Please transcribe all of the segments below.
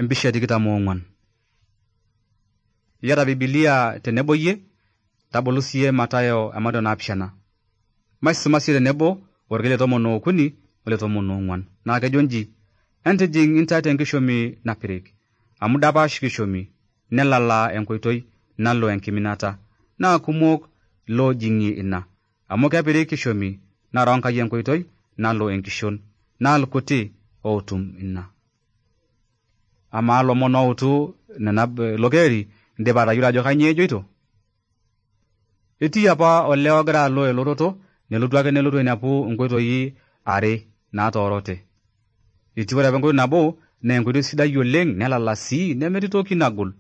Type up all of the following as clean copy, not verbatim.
Empisha 24. Yata Biblia tenebo yie, tabolu siye Matayo amado naapishana. Maisuma siye tenebo, orkile 13 ole 14. Naa kejonji, entijing intaate enkishomi napirik, amu dapash kishomi, nelala enkoitoi, nalo enkiminata, naa kumok loojing'ie ina, amu kepirik kishomi, naro Enkai enkoitoi, nalo enkishon, naa irkuti ootum ina. Ama lomon outu nena lokeri indipa atayiolo ajo kanyioo ejoito. Etii apa ole ogira alo eloroto, nelotu ainepu inkoitoi are naatoorote. Etii ore apa enkoitoi nabo naa enkoitoi sidai oleng, nelala sii nemetii toki nagol.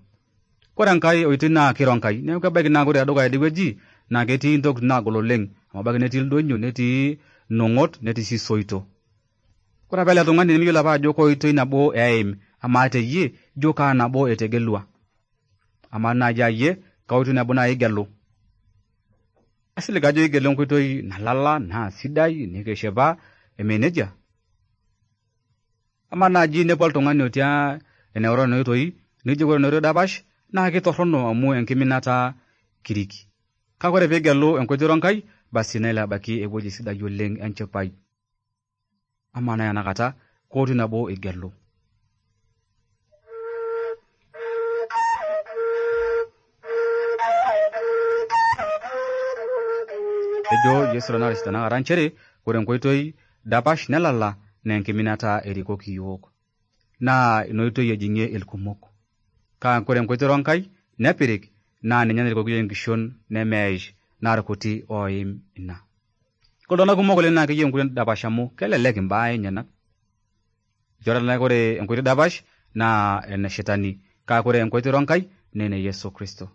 Kore enkai oitoi naa kiro Enkai, neeku kebaiki naa ore tedukuya idie naa ketii intokitin naagol oleng, amu ebaiki netii ildonyo, netii nong'ot, netii sii soito. Kore apa ele tung'ani nemeyiolo apa ajo koitoi nabo eim, amaa teyie ijo kaa nabo etegelua. Amaa naaji ayie kaoitoi nabo naaji igelu. Asilig ajo igelu enkoitoi nalala naa sidai nikishipa eme nejia. Amaa naaji inepu oltung'ani otii eneoro nena oitoi, nijo ore ina oitoi dapash naa kitorrono amu enkiminata kirik. Kake ore piigelu enkoitoi Enkai, basi nelo abaiki ewueji sidai oleng enchipai. Amaa naa enakata koitoi nabo igelu. Ejo Yesu Naris tanakata nchere, ore enkoitoi dapash nelala naa enkiminata erikoki yiok. Naa ina oitoi ejing'ie ilkumok. Kake ore enkoitoi Enkai nepirik naa ninye narikoki enkishon nemeish naa irkuti oim ina. Kore iltung'anak kumok oleng naa keyieu enkoitoi dapash amu kelelek imbaa enyenak. Ore enkoitoi dapash naa ene shetani, kake ore enkoitoi Enkai naa ene Yesu Kristo.